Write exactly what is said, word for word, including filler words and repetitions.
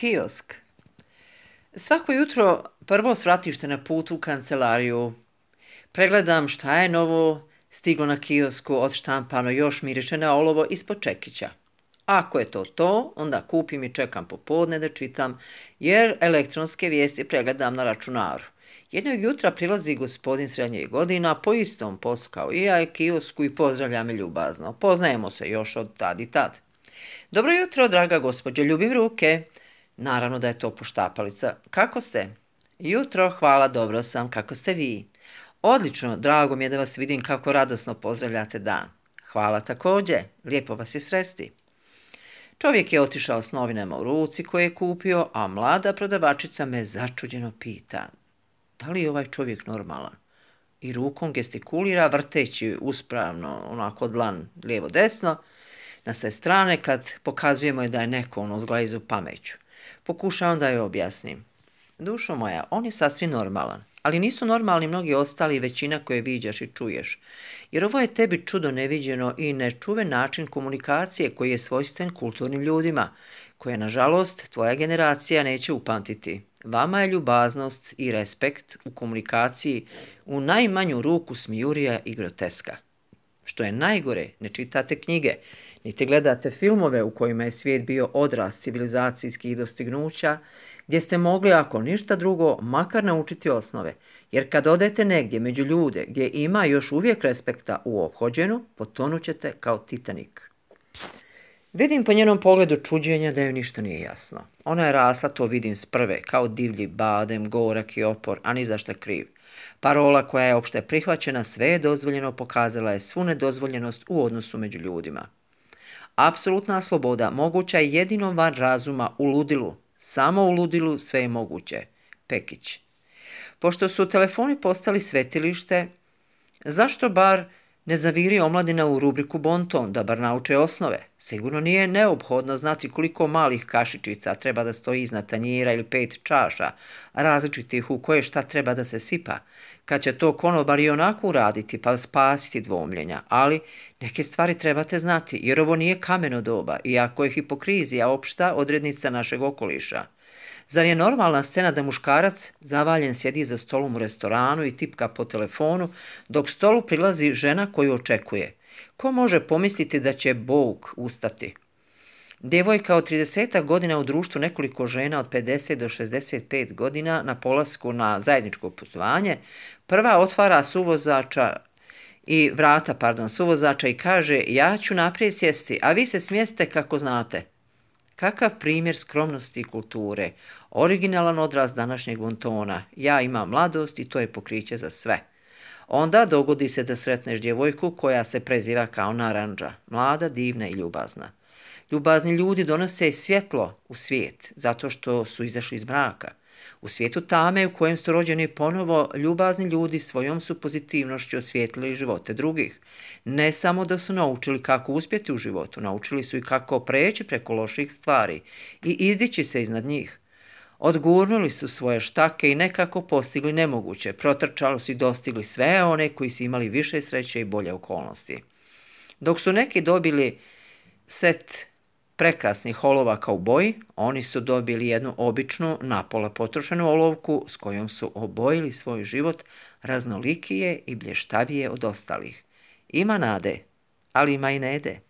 Kiosk. Svako jutro prvo svratište na putu u kancelariju. Pregledam šta je novo stiglo na kiosku, odštampano, još miriše na olovo ispod čekića. Ako je to to, onda kupim i čekam popodne da čitam, jer elektronske vijesti pregledam na računaru. Jednog jutra prilazi gospodin srednjih godina po istom poslu kao i ja kiosku i pozdravlja me ljubazno. Poznajemo se još od tad i tad. Dobro jutro, draga gospođo, ljubim ruke. Naravno da je to poštapalica. Kako ste? Jutro, hvala, dobro sam. Kako ste vi? Odlično, drago mi je da vas vidim kako radosno pozdravljate dan. Hvala također, lijepo vas je sresti. Čovjek je otišao s novinama u ruci koje je kupio, a mlada prodavačica me začuđeno pita: da li je ovaj čovjek normalan? I rukom gestikulira vrteći uspravno, onako dlan lijevo-desno, na sve strane kad pokazujemo je da je neko ono zglajzu pameću. Pokušavam da joj objasnim. Dušo moja, on je sasvim normalan, ali nisu normalni mnogi ostali, većina koje viđaš i čuješ. Jer ovo je tebi čudo neviđeno i nečuven način komunikacije koji je svojstven kulturnim ljudima, koje, nažalost, tvoja generacija neće upamtiti. Vama je ljubaznost i respekt u komunikaciji u najmanju ruku smijurija i groteska. Što je najgore, ne čitate knjige, niti gledate filmove u kojima je svijet bio odraz civilizacijskih dostignuća, gdje ste mogli, ako ništa drugo, makar naučiti osnove, jer kad odete negdje među ljude gdje ima još uvijek respekta u ophođenu, potonućete kao Titanik. Vidim po njenom pogledu čuđenja da joj ništa nije jasno. Ona je rasla, to vidim s prve, kao divlji badem, gorak i opor, a ni zašta kriv. Parola koja je opšte prihvaćena, sve je dozvoljeno, pokazala je svu nedozvoljenost u odnosu među ljudima. Apsolutna sloboda moguća je jedino van razuma, u ludilu. Samo u ludilu sve je moguće. Pekić. Pošto su telefoni postali svetilište, zašto bar ne zaviri omladina u rubriku bonton, da bar nauče osnove? Sigurno nije neophodno znati koliko malih kašičica treba da stoji iznad tanjira ili pet čaša, različitih u koje šta treba da se sipa, kad će to konobar i onako uraditi pa spasiti dvomljenja, ali neke stvari trebate znati, jer ovo nije kameno doba, iako je hipokrizija opšta odrednica našeg okoliša. Zar je normalna scena da muškarac zavaljen sjedi za stolom u restoranu i tipka po telefonu, dok stolu prilazi žena koju očekuje? Ko može pomisliti da će Bog ustati? Djevojka od trideset godina u društvu nekoliko žena od pedeset do šezdeset pet godina na polasku na zajedničko putovanje, prva otvara suvozača i vrata, pardon, suvozača i kaže: ja ću naprijed sjesti, a vi se smjeste kako znate. Kakav primjer skromnosti i kulture, originalan odraz današnjeg bontona. Ja imam mladost i to je pokriće za sve. Onda dogodi se da sretneš djevojku koja se preziva kao Narandža, mlada, divna i ljubazna. Ljubazni ljudi donose svjetlo u svijet, zato što su izašli iz mraka. U svijetu tame u kojem su rođeni ponovo, ljubazni ljudi svojom su pozitivnošću osvijetlili živote drugih. Ne samo da su naučili kako uspjeti u životu, naučili su i kako preći preko loših stvari i izdići se iznad njih. Odgurnuli su svoje štake i nekako postigli nemoguće, protrčali su i dostigli sve one koji su imali više sreće i bolje okolnosti. Dok su neki dobili set prekrasnih olovaka u boji, oni su dobili jednu običnu, napola potrošenu olovku s kojom su obojili svoj život raznolikije i blještavije od ostalih. Ima nade, ali ima i nede.